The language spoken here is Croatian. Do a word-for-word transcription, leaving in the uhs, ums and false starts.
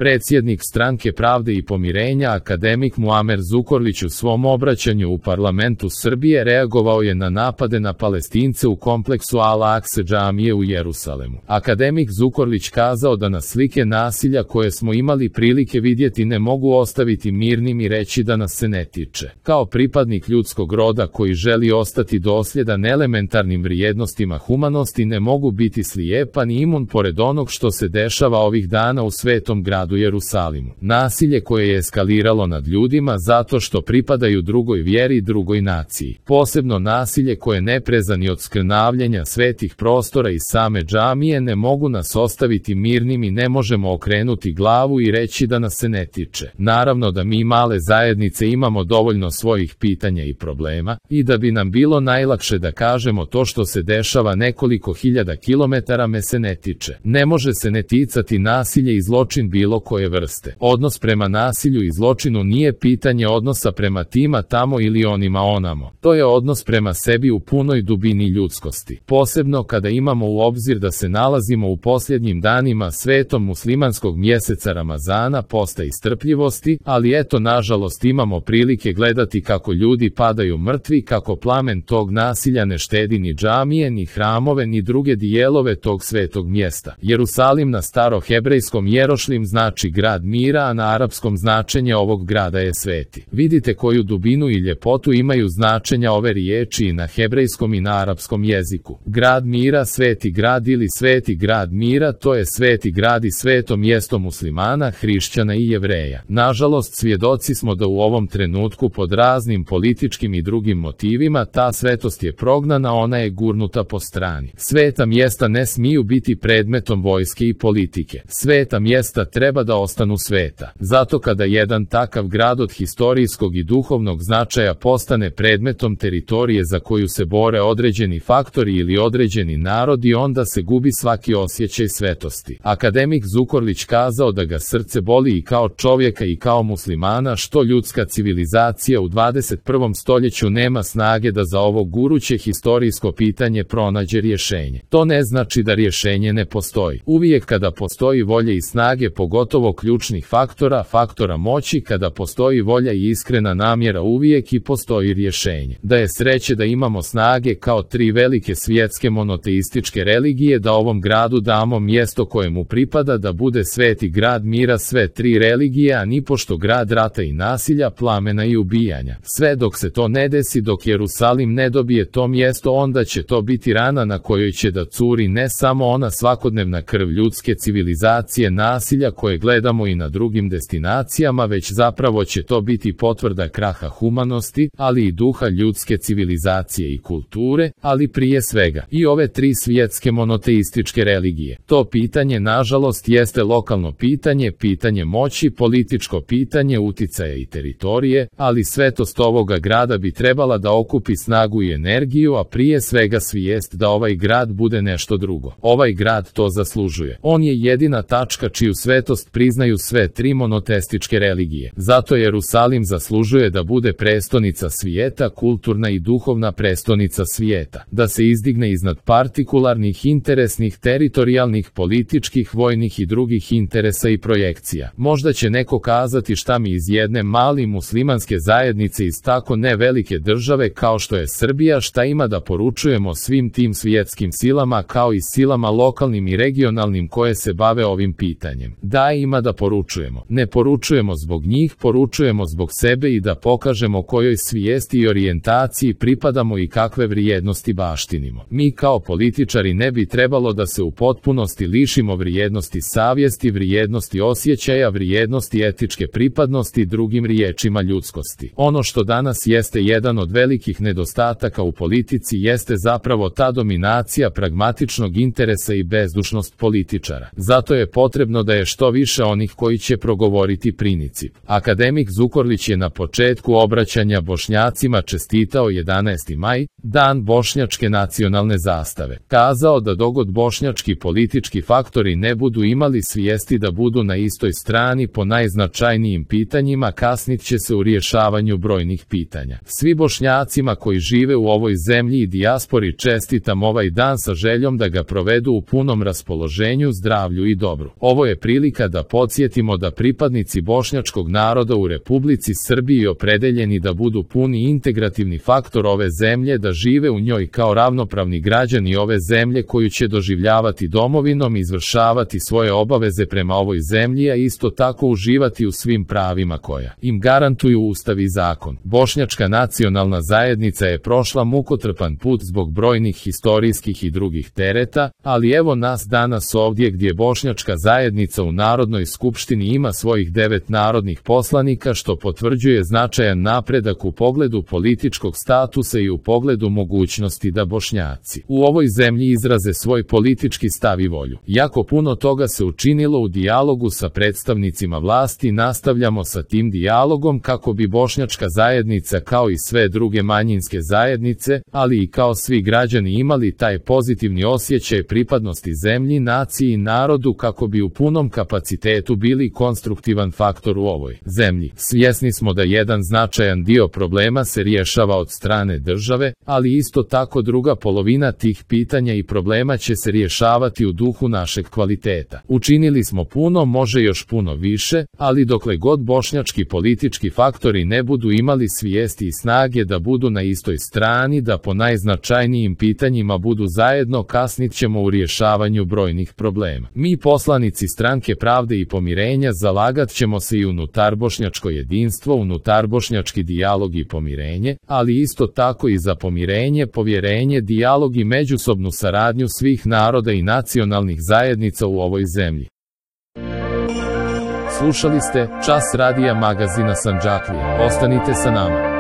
Predsjednik Stranke pravde i pomirenja akademik Muamer Zukorlić u svom obraćanju u parlamentu Srbije reagovao je na napade na Palestince u kompleksu Al-Akse džamije u Jerusalemu. Akademik Zukorlić kazao da nas slike nasilja koje smo imali prilike vidjeti ne mogu ostaviti mirnim i reći da nas se ne tiče. Kao pripadnik ljudskog roda koji želi ostati dosljedan elementarnim vrijednostima humanosti ne mogu biti slijepan i imun pored onog što se dešava ovih dana u svetom gradu Jerusalimu. Nasilje koje je eskaliralo nad ljudima zato što pripadaju drugoj vjeri i drugoj naciji. Posebno nasilje koje neprezani od skrnavljenja svetih prostora i same džamije ne mogu nas ostaviti mirnim i ne možemo okrenuti glavu i reći da nas se ne tiče. Naravno da mi male zajednice imamo dovoljno svojih pitanja i problema i da bi nam bilo najlakše da kažemo to što se dešava nekoliko hiljada kilometara me se ne tiče. Ne može se ne ticati nasilje i zločin bilo koje vrste. Odnos prema nasilju i zločinu nije pitanje odnosa prema tima tamo ili onima onamo. To je odnos prema sebi u punoj dubini ljudskosti. Posebno kada imamo u obzir da se nalazimo u posljednjim danima svetom muslimanskog mjeseca Ramazana, posta i strpljivosti, ali eto nažalost imamo prilike gledati kako ljudi padaju mrtvi, kako plamen tog nasilja ne štedi ni džamije, ni hramove, ni druge dijelove tog svetog mjesta. Jerusalim na starohebrejskom Jerošlim znači grad mira, a na arapskom značenje ovog grada je sveti. Vidite koju dubinu i ljepotu imaju značenja ove riječi i na hebrejskom i na arapskom jeziku. Grad mira, sveti grad ili sveti grad mira, to je sveti grad i sveto mjesto muslimana, hrišćana i jevreja. Nažalost, svjedoci smo da u ovom trenutku pod raznim političkim i drugim motivima ta svetost je prognana, ona je gurnuta po strani. Sveta mjesta ne smiju biti predmetom vojske i politike. Sveta mjesta treba da ostanu sveta. Zato kada jedan takav grad od historijskog i duhovnog značaja postane predmetom teritorije za koju se bore određeni faktori ili određeni narodi, onda se gubi svaki osjećaj svetosti. Akademik Zukorlić kazao da ga srce boli i kao čovjeka i kao muslimana što ljudska civilizacija u dvadeset prvom stoljeću nema snage da za ovo guruće historijsko pitanje pronađe rješenje. To ne znači da rješenje ne postoji. Uvijek kada postoji volja i snage, pogotovo ključnih faktora, faktora moći, kada postoji volja i iskrena namjera, uvijek i postoji rješenje. Da je sreće da imamo snage kao tri velike svjetske monoteističke religije da ovom gradu damo mjesto kojemu pripada, da bude sveti grad mira sve tri religije, a nipošto grad rata i nasilja, plamena i ubijanja. Sve dok se to ne desi, dok Jerusalim ne dobije to mjesto, onda će to biti rana na kojoj će da curi ne samo ona svakodnevna krv ljudske civilizacije nasilja koje gledamo i na drugim destinacijama, već zapravo će to biti potvrda kraha humanosti, ali i duha ljudske civilizacije i kulture, ali prije svega i ove tri svjetske monoteističke religije. To pitanje nažalost jeste lokalno pitanje, pitanje moći, političko pitanje uticaja i teritorije, ali svetost ovoga grada bi trebala da okupi snagu i energiju, a prije svega svijest da ovaj grad bude nešto drugo. Ovaj grad to zaslužuje. On je jedina tačka čiju svetost priznaju sve tri monoteističke religije. Zato Jerusalim zaslužuje da bude prestonica svijeta, kulturna i duhovna prestonica svijeta, da se izdigne iznad partikularnih, interesnih, teritorijalnih, političkih, vojnih i drugih interesa i projekcija. Možda će neko kazati šta mi iz jedne mali muslimanske zajednice iz tako ne velike države kao što je Srbija, šta ima da poručujemo svim tim svjetskim silama kao i silama lokalnim i regionalnim koje se bave ovim pitanjem. Da, ima da poručujemo. Ne poručujemo zbog njih, poručujemo zbog sebe i da pokažemo kojoj svijesti i orijentaciji pripadamo i kakve vrijednosti baštinimo. Mi kao političari ne bi trebalo da se u potpunosti lišimo vrijednosti savjesti, vrijednosti osjećaja, vrijednosti etičke pripadnosti, drugim riječima ljudskosti. Ono što danas jeste jedan od velikih nedostataka u politici jeste zapravo ta dominacija pragmatičnog interesa i bezdušnost političara. Zato je potrebno da je što više onih koji će progovoriti princip. Akademik Zukorlić je na početku obraćanja Bošnjacima čestitao jedanaesti maj, dan bošnjačke nacionalne zastave. Kazao da dogod bošnjački politički faktori ne budu imali svijesti da budu na istoj strani po najznačajnijim pitanjima, kasnit će se u rješavanju brojnih pitanja. Svi Bošnjacima koji žive u ovoj zemlji i dijaspori čestitam ovaj dan sa željom da ga provedu u punom raspoloženju, zdravlju i dobru. Ovo je prilika pomirenja da podsjetimo da pripadnici bošnjačkog naroda u Republici Srbiji opredeljeni da budu puni integrativni faktor ove zemlje, da žive u njoj kao ravnopravni građani ove zemlje koju će doživljavati domovinom i izvršavati svoje obaveze prema ovoj zemlji, a isto tako uživati u svim pravima koja im garantuju Ustav i zakon. Bošnjačka nacionalna zajednica je prošla mukotrpan put zbog brojnih historijskih i drugih tereta, ali evo nas danas ovdje gdje bošnjačka zajednica u Narodnoj skupštini ima svojih devet narodnih poslanika, što potvrđuje značajan napredak u pogledu političkog statusa i u pogledu mogućnosti da Bošnjaci u ovoj zemlji izraze svoj politički stav i volju. Jako puno toga se učinilo u dijalogu sa predstavnicima vlasti, nastavljamo sa tim dijalogom kako bi bošnjačka zajednica kao i sve druge manjinske zajednice, ali i kao svi građani imali taj pozitivni osjećaj pripadnosti zemlji, naciji i narodu, kako bi u punom kapacitetu bili konstruktivan faktor u ovoj zemlji. Svjesni smo da jedan značajan dio problema se rješava od strane države, ali isto tako druga polovina tih pitanja i problema će se rješavati u duhu našeg kvaliteta. Učinili smo puno, može još puno više, ali dokle god bošnjački politički faktori ne budu imali svijesti i snage da budu na istoj strani, da po najznačajnijim pitanjima budu zajedno, kasnit ćemo u rješavanju brojnih problema. Mi poslanici Stranke pravde i pomirenja zalagat ćemo se i unutar bošnjačko jedinstvo, unutar bošnjački dijalog i pomirenje, ali isto tako i za pomirenje, povjerenje, dijalog i međusobnu saradnju svih naroda i nacionalnih zajednica u ovoj zemlji. Slušali ste Čas radija magazina Sandžaklija. Ostanite sa nama.